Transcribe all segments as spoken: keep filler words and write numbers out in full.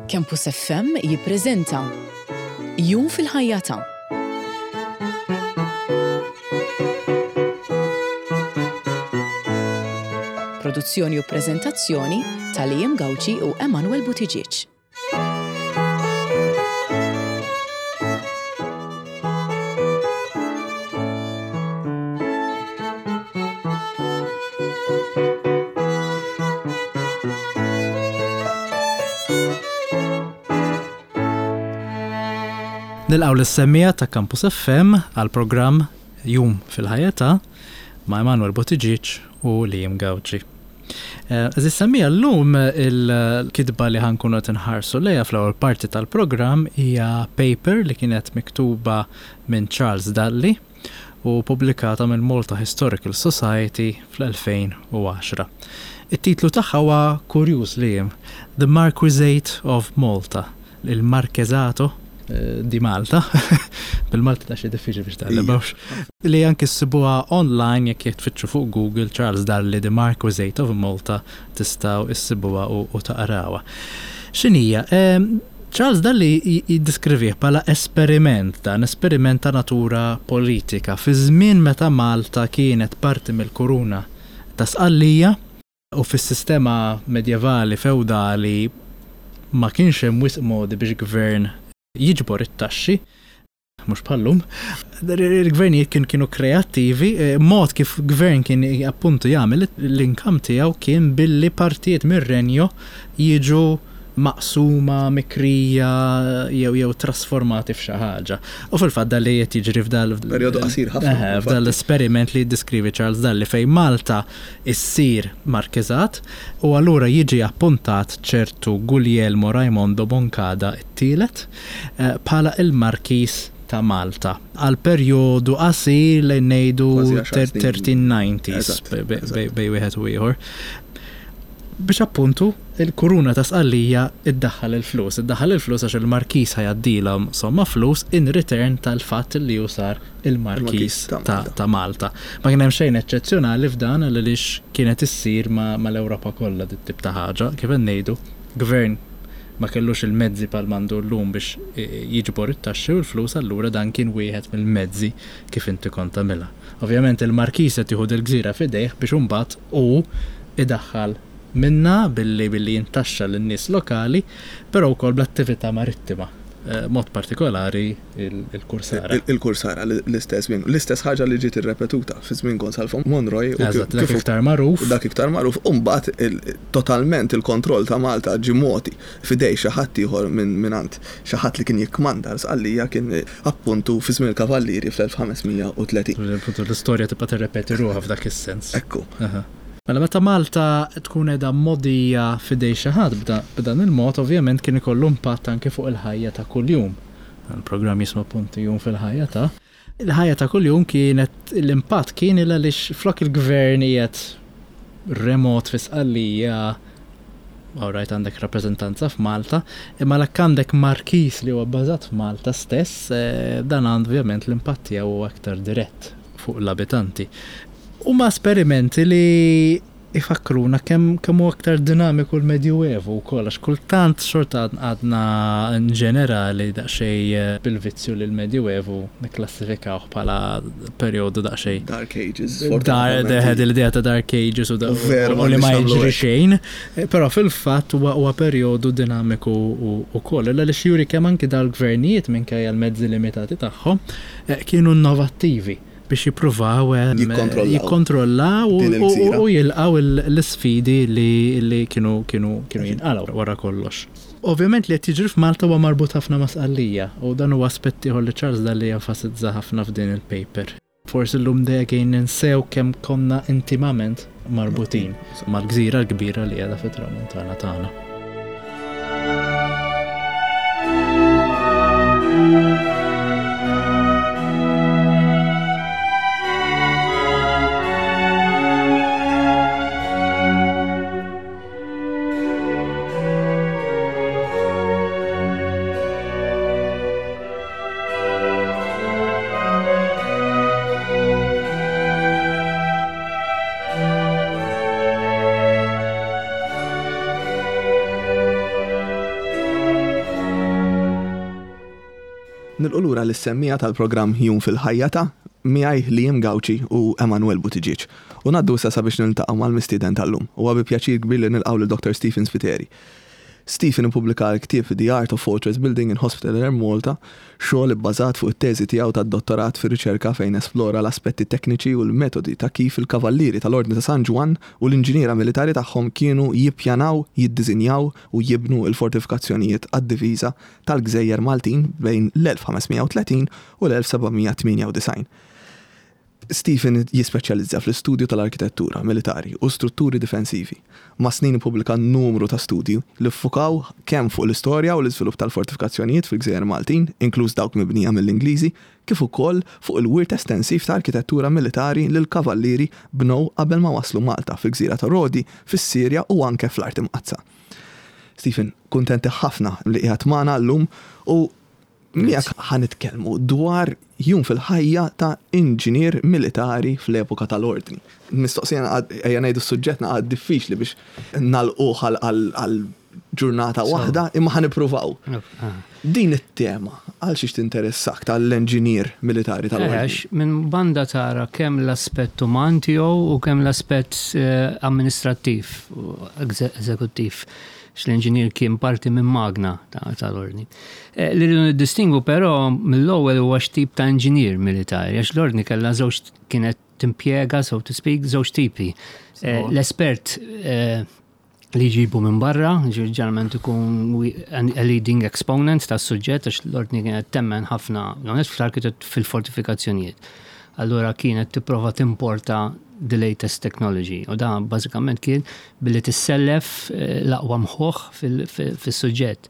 Campus F M jippreżenta Jum fil-ħajja ta' Produzzjoni u preżentazzjoni ta' Liam Gauci u Emanuel Buttigieg. Nilqgħu lis-semmiegħa ta' Campus F M għal programm Jum fil-ħajja ta' ma' Emanuel Buttigieg u Liam Gauci. Għeżież semmiegħa, llum il-kitba li ħa nkunu nħarsu lejha fl-ewwel parti tal-programm hija paper li kienet miktuba minn Charles Dalli u pubblikata minn Malta Historical Society fl-elfejn u għaxra. It-titlu tagħha huwa kurjuż li The Marquisate of Malta, il-Marchesato eh, di Malta, bil-Malti ta' xi diffiċli biex taqlebawx. Li anki ssibuha online jekk jekk tfittxu fuq Google Charles Dalli The Marquisate of Malta tistgħu issibuha u, u taqrawha. X'inhija? Em, Charles Dalli jiddiskrivih bħala esperiment, dan esperiment ta' natura politika fi żmien meta Malta kienet parti mill-kuruna ta' Sqallija u fis-sistema medjevali feudali ma kienx hemm wisq modi biex gvern jiġbor it-taxxi, mhux bħal-lum. Il-gvernijiet kien kienu kreattivi, eh, mod kif gvern kien appuntu jagħmel l-income tiegħu kien billi partijiet mir-renju jiġu maqsuma, mikrija jew jew trasformati f'xi ħaġa. U fil-fatt dan li qed jiġri f'dal Perjodu qasir ħafna, Eħe, f'dal l-esperiment li jiddeskrivi Charles Dalli fejn Malta issir markeżat u allura jiġi appuntat ċertu Guglielmo Raimondo Moncada it-tielet eh, bħala il-Markis ta' Malta għal perjodu qasir li ngħidu Kważi għaxar snin. tletin disgħin Eżatt, bej- bej eżatt. bej- bej wieħed u ieħor. Biex appuntu il-kuruna ta' Sqallija iddaħħal il-flus. Iddaħħal il-flus għax il-markis ħa jgħaddilhom somma flus in return tal-fatt li hu sar il-markis Il-Markis ta' ta' Malta. ta' Malta. Ma kien hemm xejn eċċezzjonali f'dan għaliex kienet issir ma' mal-Ewropa kollha dit tip ta' ħaġa. Kif qed ngħidu, gvern ma kellux il-mezzi bħal m'għandu llum biex eh, jiġbor it-taxxi u l-flus, allura dan kien wieħed mill-mezzi kif inti kont tagħmilha. Ovvjament il-markis qed jieħu il-gżira f'idejh biex imbagħad u idaħħal minna billi billi jintaxxa lin-nies lokali, però wkoll bl-attività marittima, eh, mod partikolari il- il-kursara. Il- Il-kursara l-istess żmien. L-istess ħaġa li ġiet irrepetuta fi żmien Gonsalvo Monroy u Eżatt, dak kif iktar magħruf. U dak iktar magħruf, u mbagħad il- totalment il-kontroll ta' Malta ġie mogħti f'idej xi ħadd ieħor minn mingħand xi ħadd li kien jikkmanda l-Sqallija, kien appuntu fi żmien il-Kavallieri fl-elf ħames mija u tletin. Appuntu, l-istorja tibqa' tirrepeti ruħha f'dak is-sens. Ekku. Aha. Mela meta Malta tkun qiegħda mogħtija f'idej xi ħadd b'da- b'dan il-mod, ovvjament kien ikollu impatt anke fuq il-ħajja ta' kuljum. Il-programm jisma' punti Jum fil-ħajja ta' il-ħajja ta' kuljum. Kienet l-impatt kien il għaliex flok il-gvern qiegħed remot fi Sqallija, alright, għandek rappreżentanza f'Malta, imma l għandek markis li huwa bbażat f'Malta stess, eh, dan għandu ovvjament l-impatt tiegħu huwa aktar dirett fuq l-abitanti. Huma esperimenti li ifakruna kemm kemm hu aktar dinamiku l-Medjuevu wkoll, għax kultant xorta għadna in ġenerali daqsxejn eh, bil-vizzju li l-Medjuevu nikklassifikawh bħala perjodu daqsxejn Dark Ages. Dar, deħed l-idea ta' Dark Ages u, da, U veru, u li ma m'għandniex nagħmlu jiġri hekk. xejn, Eh, però fil-fatt huwa huwa perjodu dinamiku u- u koll. Illa li juri kemm anki dal-gvernijiet minkejja l-mezzi limitati tagħhom eh, kienu innovattivi biex jippruvaw eh, Jikkontrollaw. jikkontrollaw u- Din u il-gżira. u jilqaw il- l-sfidi li, li kienu kienu kienu jinqalgħu wara kollox. Ovvjament li qed jiġri f'Malta huwa marbut ħafna ma' Sqallija u dan huwa aspett ieħor li Charles Dalli jenfasizza ħafna f'din il-paper. Forsi llum dejjem ninsew kemm konna intimament marbutin mal-gżira l-kbira li qiegħda fit-tramuntana tagħna. Nilqgħu lura lis-semmiegħa tal-programm Jum fil-Ħajja ta' miegħi Liam Gauci u Emanuel Buttigieg. U ngħaddu issa sabiex niltaqgħu mal-mistieden tal-lum. U bi pjaċir kbir li nilqgħu lil Dr. Stephen Spiteri. Stephen ippubblika l-ktieb The Art of Fortress Building in Hospitaller Malta, xogħol ibbażat fuq it-teżi tiegħu tad-dottorat fir-riċerka fejn esplora l-aspetti tekniċi u l-metodi ta' kif il-kavallieri tal-Ordni ta' San Ġwann u l-inġiniera militari tagħhom kienu jippjanaw, jiddiżinjaw u jibnu l-fortifikazzjonijiet għad-difiża tal-Gżejjer Maltin bejn l-elf ħames mija u tletin u l-elf seba' mija tmienja u disgħin. Stephen jispeċjalizza fl-istudju tal-arkitettura militari u strutturi difensivi. Mas-snin ippubblika numru ta' studju li ffukaw kemm fuq l-istorja u l-iżvilupp tal-fortifikazzjonijiet fil-Gżejjer Maltin, inkluż dawk mibnija mill-Ingliżi, kif ukoll fuq il-wirt estensiv ta' arkitettura militari li l-kavallieri bnew qabel ma waslu Malta fil-Gżira ta' Rodi, fis-Sirja u anke fl-Art Imqaddsa. Stephen, kuntenti ħafna li qiegħed magħna llum u miegħek ħa nitkellmu dwar jum fil-ħajja ta' inġinier militari fl-epoka tal-ordni. Mistoqsija, ejja ngħidu s-suġġett għad diffiċli biex nagħlquh għal ġurnata waħda, imma ħa nippruvaw. Ah. Din it-tema, għal xiex tinteressak tal-inġinier militari tal-ordni? Għax minn banda tara kemm l-aspett uman tiegħu u kemm l-aspett eh, amministrattiv u eżekuttiv, l-inġinier kien parti minn magna tal-ordni. Eh, li rridu niddistingu però mill-ewwel huwa x'tip ta' inġinier militari, għax l-ordni kellha żewġ, kienet timpjega, so to speak, żewġ tipi. Eh, l-espert eh, li jġibu minn barra, ġeneralment ikun a leading exponent tas suġġett, għax l-ordni kienet temmen ħafna, fl-arkitett fil-fortifikazzjonijiet. Allura kienet tipprova timporta the latest technology. U da bażikament kien billi tissellef eh, l-aqwa mħuħ fil-suġġett.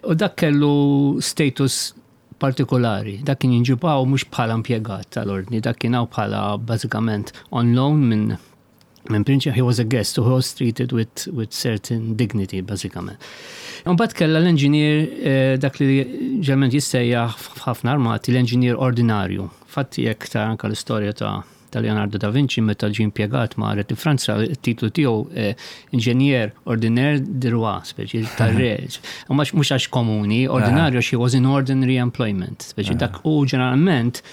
U dak kellu status partikolari. Dak kien jinġieb hawn mhux bħala impjegat tal-ordni, dak kien hawn bħala bażikament on loan minn minn prinċep, he was a guest who was treated with, with certain dignity, bażikament. Mbagħad kella l-engineer, eh, dak li ġeneralment jissejjaħ f'ħafna armati l-engineer ordinarju. Fatti jekk ta' anka l-istorja ta' ta' Leonardo da Vinci meta ġie impjegat ma' Re Franza, il-titlu tiegħu eh, ingénieur ordinaire du roi, speċi tar-re. U mhux għax komuni, ordinarju għax he was in ordinary employment, speċi dak u ġeneralment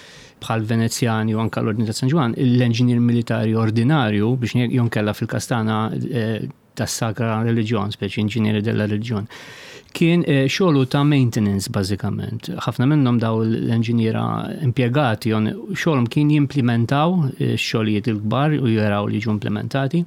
bħal Venezjani u anka l-Ordni ta' San Ġwann, l-engineer militari ordinarju biex jonkella fil-kastana eh, tas-Sacra Religion, speċi inġinieri della Religion. Kien eh, xogħlu ta' maintenance bażikament. Ħafna minnhom daw l-enġiniera impjegati xogħolhom kien jimplementaw eh, xogħlijiet il-kbar u jaraw li jiġu implementati.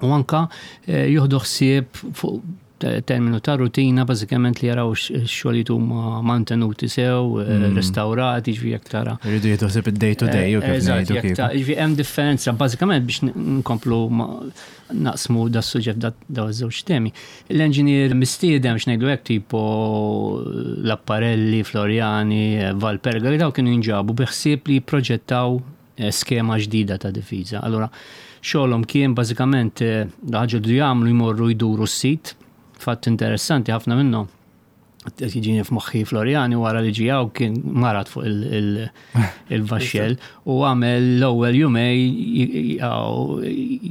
U anka jieħdu ħsieb fuq terminu ta' rutina bażikament li jaraw x-xogħlijiet huma mantenuti sew, mm. restaurati, ġifieri jekk tara. Irridu jieħdu ħsieb id-day to day u kif ngħidu kif. Ġifieri hemm differenza bażikament biex nkomplu naqsmu da suġġett da żewġ temi. L-engineer mistiedem, x'ngħidu hekk, tipo Laparelli, Floriani, Valperga, daw kienu jinġabu bi ħsieb li jipproġettaw eh, skema ġdida ta' difiża. Allora, xogħolhom kien bażikament eh, ħaġa li jagħmlu jmorru jduru s-sit. Fatt interessanti, ħafna minnhom, jiġini f'moħħi Floriani, wara li ġie hawn kien marad fuq il-vaxxell u għamel l-ewwel jumej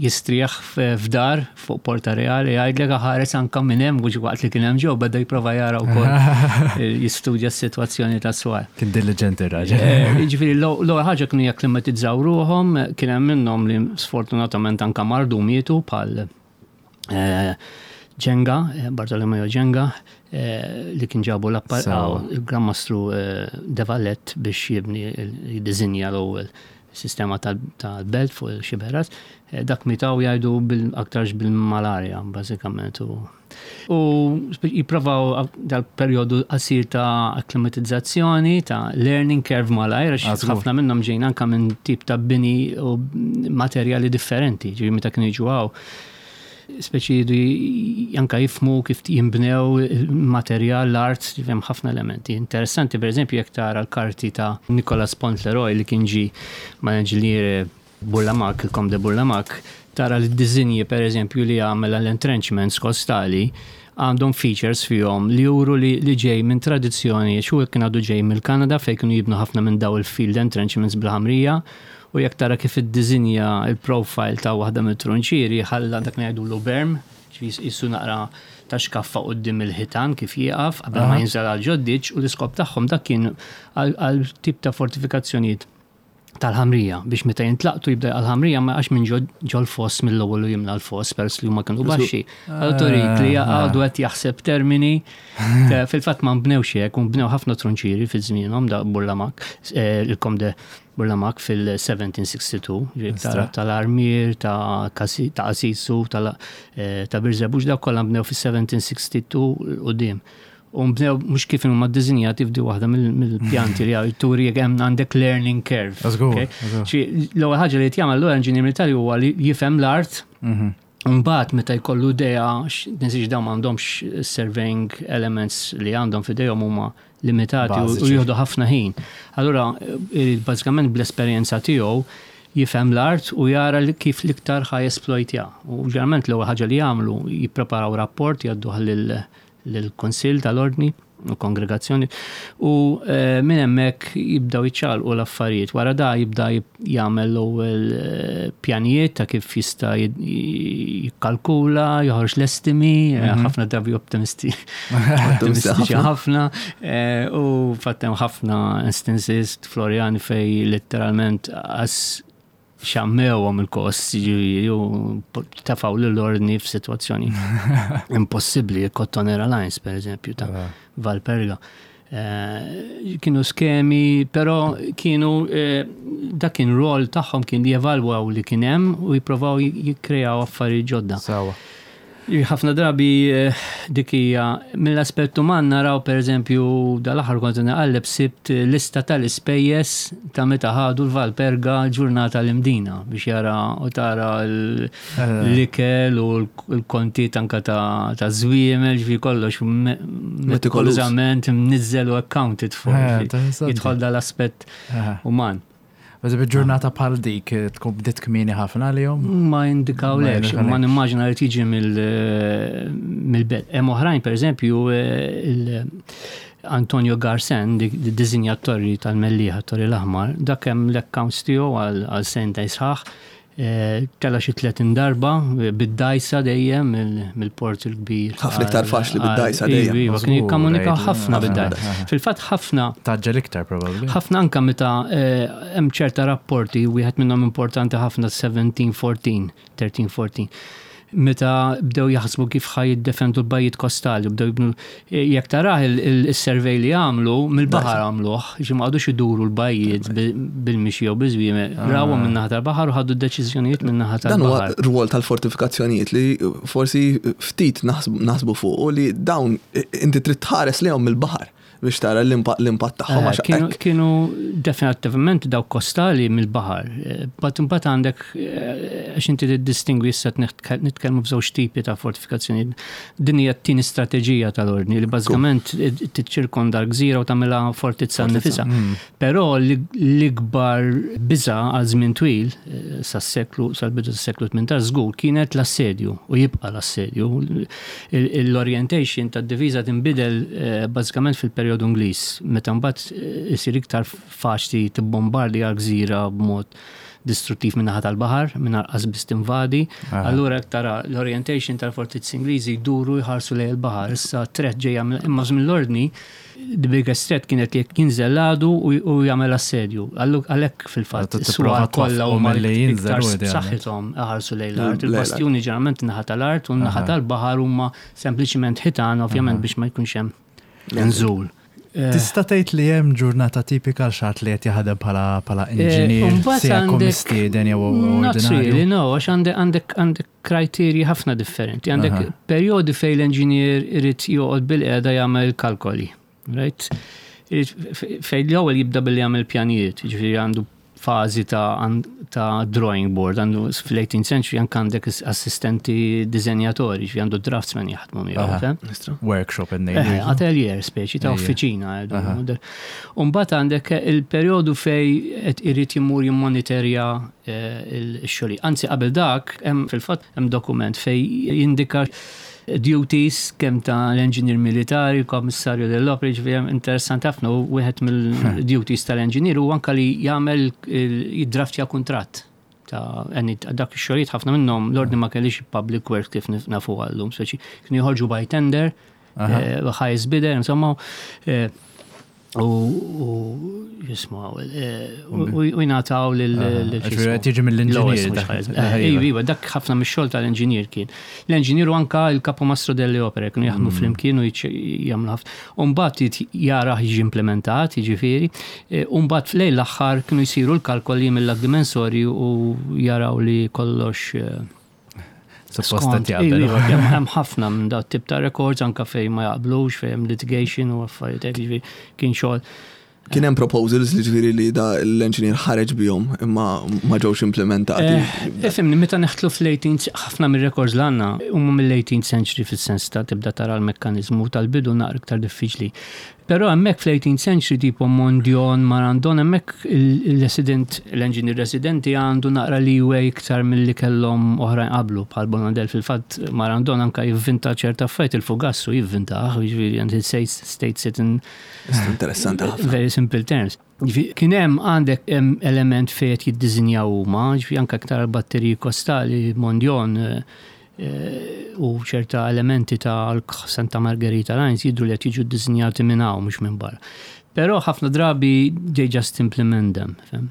jistrieħ f'dar fuq Porta Reale, jgħidlek ħares anka minn hemm waqt li kien hemm ġew beda jipprova jara wkoll jistudja s-sitwazzjoni tas-swar. Kien diligenti raġel. Eh, jiġifieri l-ewwel ħaġa kienu jakklimatizzaw ruħhom, kien hemm minnhom li sfortunatament anka mardu, mietu, bħal eh, Genga, eh, Bartolomeo Genga, eh, li kien ġabu l-Gran Mastru eh, De Valette biex jibni, jiddizinja l-ewwel sistema tal-belt fuq il-Xiberras. Dak miet jgħidu aktarx bil-malarja, bażikament. U jipprovaw dal-periodu qasir ta' akklimatizzazzjoni, ta' learning curve malajr, għax ħafna minnhom ġejn anka minn tip ta' bini u materjali differenti, ġifieri meta kienu jiġu hawn speċi jridu anka jifhmu kif jimbnew materjal, l-art, hemm ħafna elementi. Interessanti, per eżempju, jekk tara l-karti ta' Nicolas Pontleroy li kien ġi ma' inġinier Burlamac, il-Comte de Burlamac, tara l-dizinji per eżempju li għamel l-entrenchments kostali għandhom features fihom li juru li, li ġej minn tradizzjoni, xu kien għadu ġej mill-Kanada fejn kienu jibnu ħafna minn daw il-field entrenchments bil-ħamrija, u jekk tara kif id-dizinja il-profile ta' waħda mit-trunċieri ħalla dak ngħidulu berm, Ġifieri jissu naqra ta' xkaffa quddiem il-ħitan kif jieqaf qabel ma jinżel għal ġod-ditch, u l-iskop tagħhom dak kien għal għal tip ta' fortifikazzjonijiet tal-ħamrija biex meta jintlaqtu jibda għal-ħamrija ma għax minn ġol foss mill-ewwel u jimla l-foss peress li huma kienu baxxi. Għal li għadu qed jaħseb termini ta' fil-fatt ma nbnewx hekk, u nbnew ħafna trunċiri fi żmienhom da Bourlamaque, eh, il-Comte de Bourlamaque fil-seventeen sixty-two, ġifieri ta' tal-Armier, ta' Kasi- ta' Asisu, tal- eh, ta' Birżebbuġ, daw kollha nbnew fis-seventeen sixty-two quddiem. U nbnew mhux kif huma ddisinjati f'di waħda mill- mill-pjanti li għaw turi jekk hemm għandek learning curve. Żgur, okay? żgur. Xi l-ewwel ħaġa li jagħmel l engineer militari huwa li jifhem l-art. Mhm. Mbagħad meta jkollu idea, tinsiex dawn m'għandhomx surveying elements, li għandhom f'idejhom huma limitati u u Bażiċi. jieħdu ħafna ħin. Allura eh, bażikament bl-esperjenza tiegħu jifhem l-art u jara li kif l-iktar ħa jesploitja. U ġeneralment l-ewwel ħaġa li jagħmlu, jippreparaw rapport, jgħadduh lil lill-Kunsill tal-Ordni u kongregazzjoni u eh, minn hemmhekk jibdaw jiċċaqalqu l-affarijiet. Wara da jibda jib- jagħmel l-ewwel eh, pjanijiet ta' kif jista' jid- jikkalkula, joħroġ l-estimi, eh, ħafna drabi optimisti ottimistiċi ħafna, eh, u fatt hemm ħafna instances Floriani fej letteralment għas xammewhom il-kost, ġifieri, u tafaw l-ordni f'sitwazzjoni impossibbli, Cottonera Lines, per eżempju, ta' Valperga. Eh, kienu skemi, però kienu eh, dak kien rol tagħhom, kien li jevalwaw li kien hemm u jippruvaw jikkreaw affarijiet ġodda. Sawa. Ħafna drabi eh, dik hija mill-aspett uman. Naraw, per eżempju, dal-aħħar kont naqalleb, sibt lista tal-ispejjeż ta' meta ħadu l-Valperga ġurnata l-Imdina biex jara u tara l- l-ikel u l-kontijiet anka ta' ta' żwiemel, ġifieri kollox me- metikolużament mniżżel u accounted for. Eh, Ġifieri interessanti. jidħol dal-aspett uman. Eżempju, ġurnata bħal dik eh, tkun bdiet kmieni ħafna li jom? Ma jindikaw Ma lekx, jindikawlekx. ma nimmaġina li tiġi mill- mill-belt. Hemm oħrajn, per eżempju, eh, il- Antonio Garsen, di di disinja t-torri tal-Mellieħa, Torri l-Aħmar, dak hemm l-accounts tiegħu għal għal sentejn sħaħ, eh, tela xi tletin darba eh, bid-dajsa dejjem mill- mill-port il-kbir. Ħafna iktar faċli bid-dajsa Għal- dejjem. Iva, kien jikkomunikaw Żgur, ħafna ħafna bid-dajsa. bid-dajsa. Fil-fatt ħafna Taġġel iktar probabbli. ħafna anka meta eh, hemm ċerta rapporti, wieħed minnhom importanti ħafna, seventeen fourteen, thirteen fourteen. Meta bdew jaħsbu kif ħa jiddefendu l-bajjiet kostali, bdew jibnu, eh, jekk tarah il-survey li għamlu, mill-baħar għamluh, ġi ma qagħdux iduru l-bajjiet bi- bil-mixi jew biż-żwiemel, rawhom min-naħa tal-baħar u ħadu d-deċiżjonijiet min-naħa Dan huwa tal-baħar. rwol tal-fortifikazzjonijiet li forsi ftit naħsbu naħsbu fuq u li dawn inti trid tħares lejhom mill-baħar biex tara l-impatt l-impatt tagħhom Eh, għax Kienu, hekk kienu definitivament daw kostali mill-baħar. But imbagħad għandek eh, għax inti tiddistingwi, issa nitkellmu f'żewġ tipi ta' fortifikazzjoni. Din hija t-tieni strateġija tal-ordni li bażikament tiċċirkonda l-gżira u tagħmilha fortizza nifisha. Però l-ikbar biża għal żmien twil, eh, sas-seklu sal-bidu tas-seklu tmintax żgur, kienet l-assedju u jibqa' l-assedju. L-orientation tad-diviża tinbidel eh, bażikament fil-perjodu Ingliż, meta mbagħad eh, isir iktar faċli tibbombardi għal gżira b'mod distruttiv min-naħa tal-baħar, minn qas biss tinvadi. Allura jekk tara l-orientation tal-fortizzi Ingliżi, jduru jħarsu lejn il-baħar. Issa threat ġejja mill- imma żmien l-ordni the biggest threat kienet jekk jinżel l-għadu u u jagħmel assedju. Allu- Għalhekk fil-fatt Tipprova is-swar kollha twaffqu huma milli jinżel iktar u idealment. b'saħħithom iħarsu lejn l-art. Lejn l-art. Il-bastjuni ġeneralment naħa tal-art u naħa tal-baħar huma sempliċiment ħitan, ovvjament, biex ma jkunx hemm nżul. Eh, Tista' tgħid li hemm ġurnata tipika għal xi ħadd li qed jaħdem bħala bħala inġinier, Eh, mbagħad se jkun għandek- mistieden jew Not really, ordinarju? no, għax għandek għandek għandek kriterji ħafna differenti. Għandek Aha. periodi fej l-engineer irid joqgħod bil-qiegħda jagħmel kalkoli, right? Irid fej l-ewwel jibda billi jagħmel pjanijiet, jiġifieri għandu fażi ta' għan- ta' drawing board, għandu fl-eighteenth century anke għandek assistenti dizenjatori, ġifieri għandu draftsman jaħdmu miegħu. Aha. fem? Workshop Eh, ngħidu. Atelier speċi ta' Ejja. uffiċina. Umbagħad għandek il-perjodu fej qed irid jimur jimmonitorja eh, il-xogħli. Anzi, qabel dak hemm fil-fatt hemm dokument fej jindika duties kemm ta' l-engineer militari, kommissarju dell'opera, ġifieri hemm interessanti ħafna, u wieħed mill-duties tal-engineer u anka li jagħmel il- jiddraftja kuntratt. Ta' dak ix-xogħlijiet ħafna minnhom l-ordni ma kellix public works kif nafu għallum, speċi kienu joħorġu by tender, eh, highest bidder, insomma, eh, u jisma u jingħataw lil Tiġi mill-inġinier. Iva, iva, dak ħafna mix-xogħol tal-engineer kien. L-engineer u anka il-capomastro delle opere kienu jaħdmu mm. flimkien u jagħmlu ħafna. U mbagħad jara jiġi implementat, jiġifieri, u mbagħad f'lejl l-aħħar kienu jsiru l-kalkoli mill-dimensori u jaraw li kollox Supposta jaqbel. Iva, hemm ħafna minn dat tip ta' records anka fejn ma jaqblux, fejn hemm litigation u affarijiet jiġifieri kien xogħol. Kien hemm proposals li ġifieri li da l-engineer ħareġ bihom imma ma ġewx implementati. Ifhimni, meta neħtlu fl-eighteenth, ħafna mir-records l għandna huma mill-eighteenth century fis-sens ta' tibda tara l-mekkaniżmu tal-bidu naqra iktar diffiċli. Però hemmhekk fl-eighteenth century tipo Mondion, Marandon, hemmhekk il-resident, l-engineer residenti għandu naqra leeway iktar milli kellhom oħrajn qablu bħal Bonadel. Fil-fatt Marandon anka jivvinta ċerta affarijiet, il-fugassu jivvinta, jiġifieri and it states it in Interessanti ħafna. very simple terms. Kien hemm għandek element fejn qed jiddiżinjaw huma, ġifieri anke aktar batteriji kostali Mondion u ċerta elementi ta' Santa Margherita Lines jidru li qed jiġu ddisinjati minn hawn mhux minn barra. Però ħafna drabi they just implement them. Fem?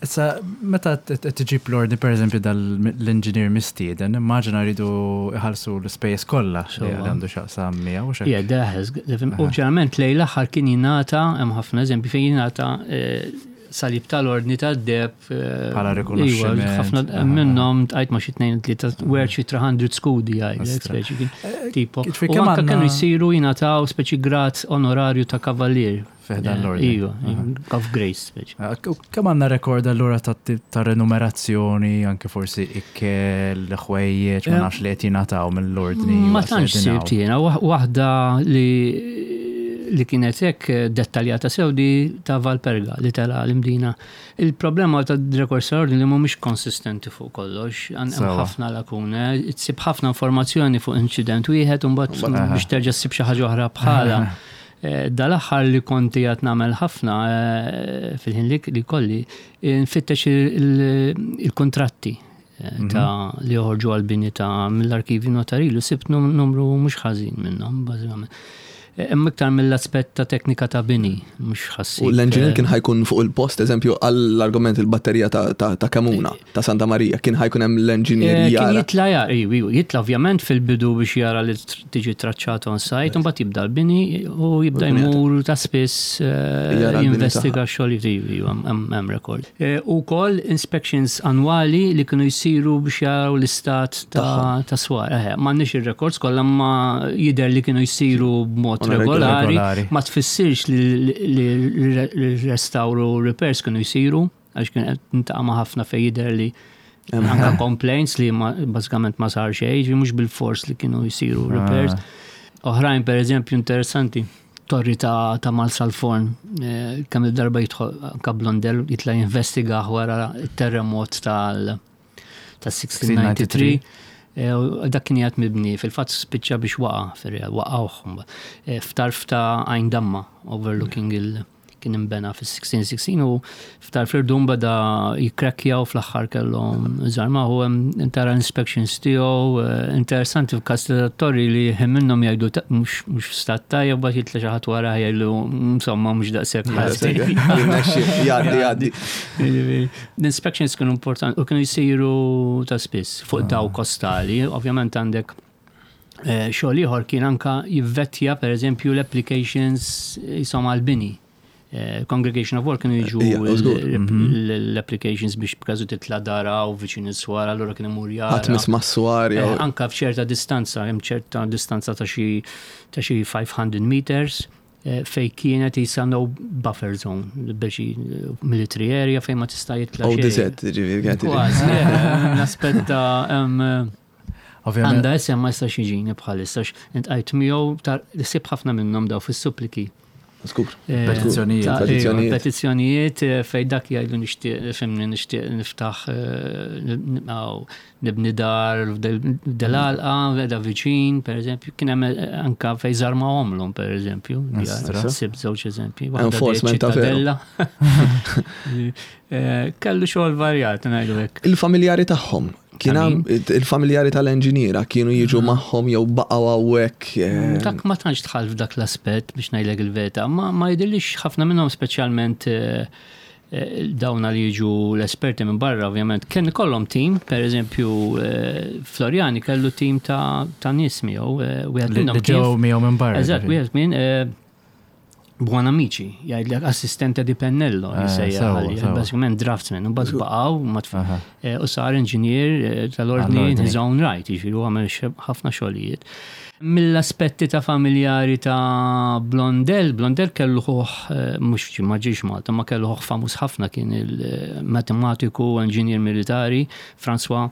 Issa, meta tiġib l-ordni, per eżempju, dal-engineer mistieden, immaġina rridu iħallsu l-ispejjeż kollha li għandu x'jaqsam miegħu. Yeah, daħes. U ġeneralment lejn l-aħħar kien jingħata, hemm ħafna eżempji fejn jingħata salib tal-ordni tad-deheb. Bħala rikonoxximent. Ħafna minnhom tqajt ma' xi tnejn tlieta were xi tliet mitt skudi jgħidlek, speċi tipo. U anke kienu jsiru jingħataw speċi grad onorarju ta' kavallier. Fiħdan l-ordni. Iva, of grace, speċi. Kemm għandna rekord allura ta' renumerazzjoni, anke forsi ikkel, ħwejjeġ, ma nafx li qed jingħataw mill-ordni. Ma tantx sibt jiena, waħda li li kienet hekk dettaljata sew di ta' Valperga li tela l-Imdina. Il-problema ta' records tal-ordni li mhumiex konsistenti fuq kollox, hemm ħafna lakune, tsib ħafna informazzjoni fuq incident wieħed u mbagħad biex terġa' ssib xi ħaġa oħra bħala. Dal-aħħar li konti qed nagħmel ħafna fil-ħin li kolli, nfittex il-kontratti ta' li joħorġu għal-bini ta' mill-arkivi notarili, sibt numru mhux ħażin minnhom, bażikament. Hemm iktar mill-aspett ta' teknika ta' bini, mhux ħassib. U l-engineer kien ħajkun fuq il-post, eżempju, għall-argument il-batterija ta' Kemuna, ta' Santa Maria, kien ħajkun hemm l-engineer jara. Kien jitla jara, jitla ovvjament fil-bidu biex jara li tiġi traċċata on site, u mbagħad jibda l-bini u jibda jmur ta' spiss jinvestiga x-xogħol hemm record. U wkoll inspections annwali li kienu jsiru biex jaraw l-istat ta' swar. M'għandniex ir-records kollha ma jidher li kienu jsiru b'mod regolari, ma tfissirx li restawru repairs kienu jsiru, għax kien qed nintaqa' ma' ħafna fejn jidher li anka complaints li bażikament ma sar xejn, mhux bil-fors li kienu jsiru repairs. Oħrajn per eżempju interessanti, torri ta' Marsalforn, kemm il-darba jidħol anka Blondel jitla' jinvestiga wara t-terremot tal sixteen ninety-three. Dak kien jgħat mibni, fil-fatt spiċċa biex waqa, fil-real, waqgħuh. F'tarf ta' Għajn Damma, overlooking il- kien imbena fis-sixteen sixteen u f'tarf l-irdum beda jikrekja u fl-aħħar kellhom żarma u hemm tara inspections tiegħu, interessanti f'każ ta' torri li hemm minnhom jgħidu mhux f'stat tajjeb, bagħad jitla' xi ħadd wara jgħidlu insomma mhux daqshekk ħażin. Jgħaddi, jgħaddi. L-inspections kienu importanti u kienu jsiru ta' spiss fuq daw kostali, ovvjament għandek xogħol ieħor kien anka jivvettja pereżempju l-applications jisom għall-bini. Congregation of Work kienu jiġu l-applications biex b'każu titla' dara u viċin is-swar, allura kien imur jara. Ħadd misma' s-swar jew. Anka f'ċerta distanza, hemm ċerta distanza ta' xi ta' xi five hundred meters fej kienet jisa no buffer zone, biex military area fejn ma tista' jitla' xejn. O D Z, ġifieri kienet. Kważi, l-aspett ta' għandha isem ma jistax jiġini bħalissa, intqajt miegħu sib ħafna minnhom daw fis-suppliki. Skur. Eh, Petizzjonijiet. ta' Petizzjonijiet. iva, Petizzjonijiet eh, fej dak jgħidu nixtieq fimni nixtieq niftaħ eh, nibqgħu nibni dar f'del-għalqa, da viċin, per eżempju, kien hemm eh, anka fej żarmawhomlhom, per eżempju, Astra. Sib żewġ eżempji. Waħda dej Enforcement ta' veru. ċittadella. Eh, Kellu xogħol varjat, ngħidu hekk. Il-familjari tagħhom kien Ta' hemm il-familjari tal-enġiniera kienu jiġu magħhom jew baqgħu hawnhekk. eh, Dak ma tantx dħal f'dak l-aspett biex ngħidlek il-verità, ma, ma jidhirlix ħafna minnhom speċjalment eh, eh, dawna li jiġu l-esperti minn barra ovvjament. Kien ikollhom team, per eżempju eh, Floriani kellu team ta' ta' nies miegħu, eh, wieħed Li minnhom li ġew kien- miegħu minn barra. Eżatt, ġifieri. wieħed minn eh, Buonamici, jgħidlek assistente di pennello, Eh, jisejjaħ sewa, għalih, sewa. basikament draftsman, u mbagħad baqgħu ma tf- Aha. eh, u sar inġinier eh, tal-ordni in Għall-ordni. his own right, jiġifieri u għamel xe- ħafna xogħlijiet. Mill-aspetti ta' familjari ta' Blondel, Blondel kellu ħuħ, eh, mhux ma ġiex Malta, ma kellu ħuħ famuż ħafna kien il-matematiku, inġinier militari, François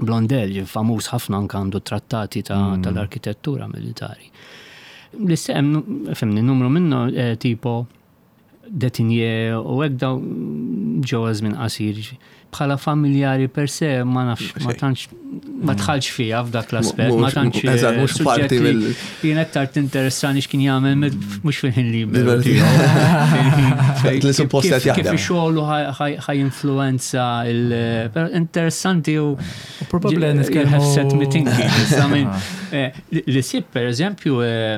Blondel, ġie famuż ħafna anka għandu trattati ta' tal-arkitettura militari. L-istem, fimni, numru minnu eh, tipo Detinje u hekk daw ġewwa żmien qasir. Bħala familjari per se ma nafx, ma tantx ma dħalx fija f'dak l-aspett, ma Mhux- tantx eh, eżatt, mhux suġġett parti li mill- Jien aktar tinteressani x'kien jagħmel med- mhux fil-ħin liberu Liberu tiegħu. Fil-ħin fejn Li suppost kif- qed jaħdem. Kif ix-xogħol ħaj influenza il però interessanti u Probabbli You nitkellmu have set me thinking. I mean, eh, li- Li sib, per eżempju, eh,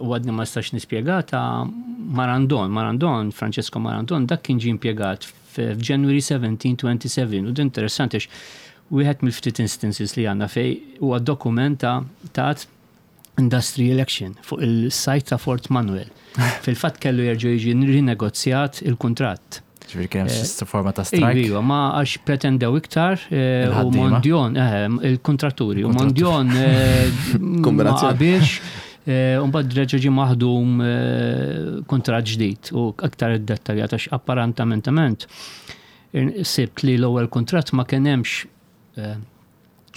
u għadni ma stax nispjega ta' Marandon, Marandon, Francesco Marandon, dak kien ġie impjegat f'January seventeen twenty-seven, u din interessanti għax wieħed mill-ftit instances li għandna fej huwa dokumenta ta' industrial action fuq il-sajt ta' Fort Manuel. Fil-fatt kellu jerġa' jiġi rinegozjat il-kuntratt. Ġifieri kien hemm xi forma ta' Iva, strike. iva, ma għax pretendew iktar eh, u Il-ħaddiema. Mondion, eh, il-kontratturi, u Mondion eh, ma Kombinazzjoni. qabilx, eh, u mbagħad reġa' ġie maħdum eh, kuntratt ġdid u aktar iddettaljat għax apparentamentament sibt li l-ewwel kuntratt ma kien hemmx eh,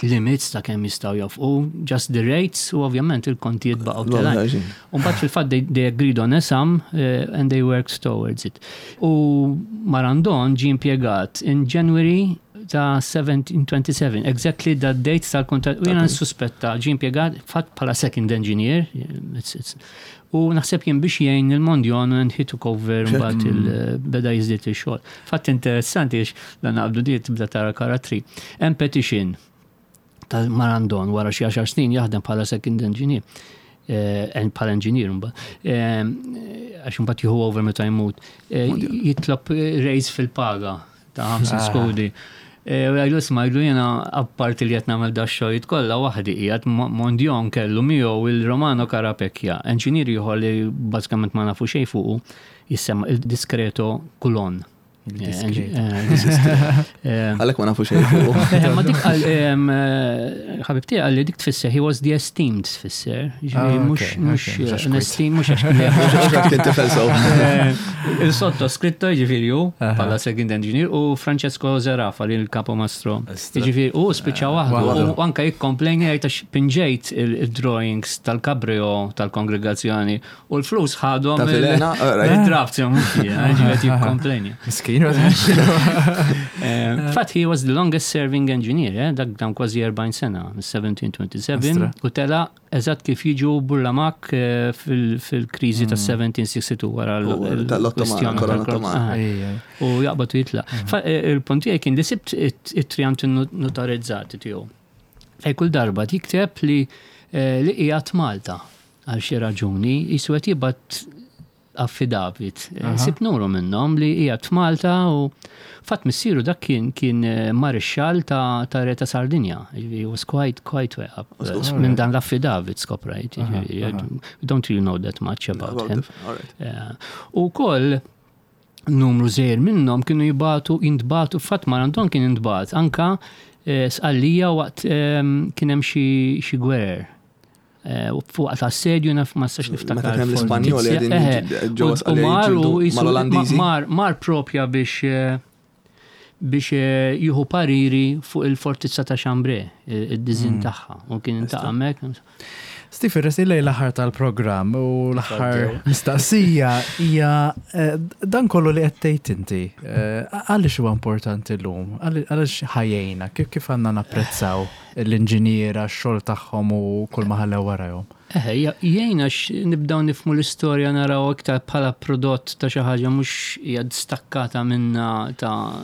limits ta' kemm jistgħu jofqu, just the rates u ovvjament il-kontijiet baqgħu telgħin. U mbagħad fil-fatt they, they agreed on a sum uh, and they worked towards it. U Marandon ġie impjegat in January ta' seventeen twenty-seven, exactly that date tal-kontrat. U jena nsuspetta ġie impjegat fatt bħala second engineer, it's, it's, u naħseb jien biex jgħin il-Mondjon and he took over mbagħad il- beda jiżdied il-xogħol. Fatt interessanti għax dan naqbdu di tibda tara karattri. Hemm petition tal-Marandon wara xi għaxar snin jaħdem bħala second engineer. Eh, bħala engineer mbagħad. Eh, Għax mbagħad jieħu over meta jmut. Eh, Jitlob raise fil-paga ta' ħamsin skudi. Eh, U jgħidu isma' jgħidu jena apparti li qed nagħmel da xogħlijiet kollha waħdi qiegħed Mondion kellu miegħu il-Romano Carapecchia, engineer ieħor li bażikament ma nafu xejn fuqu, jissemma il-Discreto Coulon. Il-Discreto. Eh, Għalhekk ma nafu xejn fuq. Eh, Ma dik għal em, eh, ħabib tiegħi għalli dik tfisser, he was the esteemed tfisser. Ġifieri Ah, mhux ok, mhux ok, mhux għax an esteemed, mhux għax Mhux kien tifel sew. Eh, Il-sotto scritto ġifieri hu bħala second engineer u Francesco Zerafa li l-capo mastro. Istra. Ġifieri u spiċċa waħdu Waħdu. u anka jikkomplejn jgħid għax pinġejt il-drawings tal-cabrio tal-kongregazzjoni u l-flus ħadhom Ta' Filena, alright. il-draft ġifieri jikkomplejn. Miskin. Eh, Fatt he was the longest serving engineer, eh, dak dam kważi erbgħin sena, seventeen twenty-seven, Astra. u tela eżatt kif jiġu Burlamak eh, fil- fil-kriżi ta' seventeen sixty-two wara U tal-Ottoman, l-kwestjoni korona tal- Ottomana. Ah, U jaqbad u jitla. Fa- eh, Il-punt tiegħi kien li sibt it-trianti notarizzati tiegħu. Fej kull darba jikteb li eh, li qiegħed Malta għal xi raġuni jisu qed jibgħat affidavit. Eh, Sibt numru minnhom li qiegħed f'Malta u fatt missieru dak kien kien eh, marixxall ta' ta' Re ta' Sardinja. He was quite quite way up. Eh, Minn dan l-affidavit skoprajt. Ġifieri, we don't really know that much about him. Alright. Eh, U koll numru żgħir minnhom kienu jibatu jintbatu fatt Marandon kien intbat anka eh, Sqallija waqt ehm, kien hemm xi xi gwerer. Eh, u Fuq assedju naf ma nistax niftakar. Meta kien hemm l-Ispanjoli fortizja. qegħdin Eh, ġewwa u- u Sqallija mar u jiġġieldu jisu- mal-Olandiżi. Mar mar propja biex eh, biex eh, jieħu pariri fuq il-fortizza ta' Chambray, id-dizin tagħha. U kien intaqa' hemmhekk. Steve, resqin lejn l-aħħar tal-programm u l-aħħar mistaqsija hija eh, dan kollu li qed tgħid inti. eh, Għaliex huwa importanti llum? Għaliex ħajjejna? Kif kif għandna napprezzaw l-inġiniera, x-xogħol tagħhom u kull ma ħallew warajhom? Eħe, jgħinna nibdaw nifhmu l-istorja, naraw iktar bħala prodott ta' xi ħaġa mhux hija stakkata minna ta'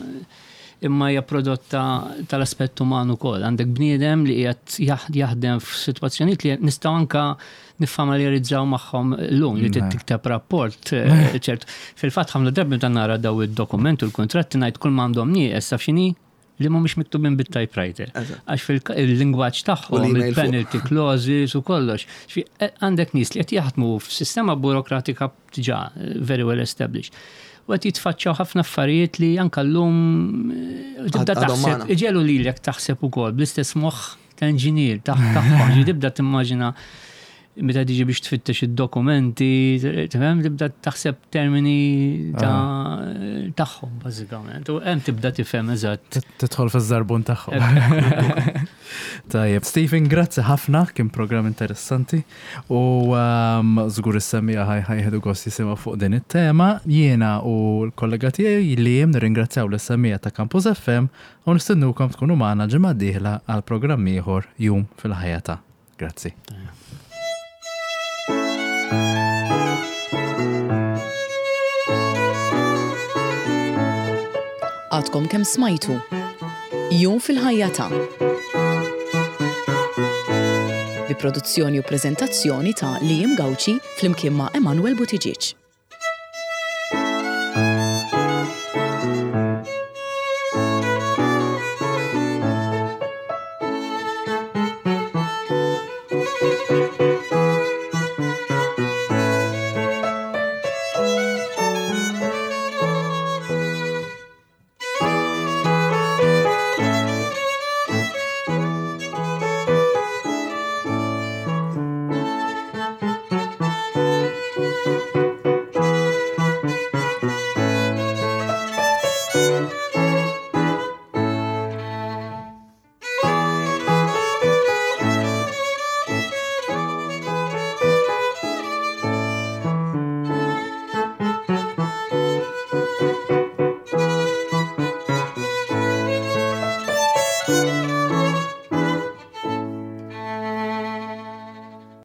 imma hija prodotta tal-aspett uman ukoll. Għandek bniedem li qiegħed jaħdem f'sitwazzjonijiet li nistgħu anka niffamiljarizzaw magħhom llum li trid tikteb rapport, eh, ċert. Fil-fatt ħafna drabi meta nara daw id-dokument u l-kontratti ngħid kull m'għandhom nieqes taf x'inhi, li mhumiex miktubin bit-typewriter. Għax fil-lingwaġġ tagħhom, il-penalty clauses u kollox. Eh, għandek nies li qed jaħdmu f'sistema burokratika diġà eh, very well established. U qed jitfaċċaw ħafna affarijiet li anka llum eh, tibda taħseb, iġegħlu lilek taħseb ukoll bl-istess moħħ ta' inġinier tagħhom, tibda timmaġina meta tiġi biex tfittex id-dokumenti, tifhem, tibda taħseb termini ta' tagħhom bażikament. U hemm tibda tifhem eżatt. Tidħol fiż-żarbun tagħhom. Tajjeb, Stephen, grazzi ħafna, kien programm interessanti u um, żgur is-semmiegħa ħa jieħdu gost jisimgħu fuq din it-tema. Jiena u l-kollega tiegħi li jem nirringrazzjaw lis-semmiegħa ta' Campus F M u nistennukom tkunu magħna ġimgħa dieħla għal programm ieħor, Jum fil-Ħajja ta'. Grazzi. Għadkom kemm smajtu Jum fil-Ħajja ta', bi produzzjoni u prezentazzjoni ta' Liam Gauci flimkien ma' Emanuel Buttigieg.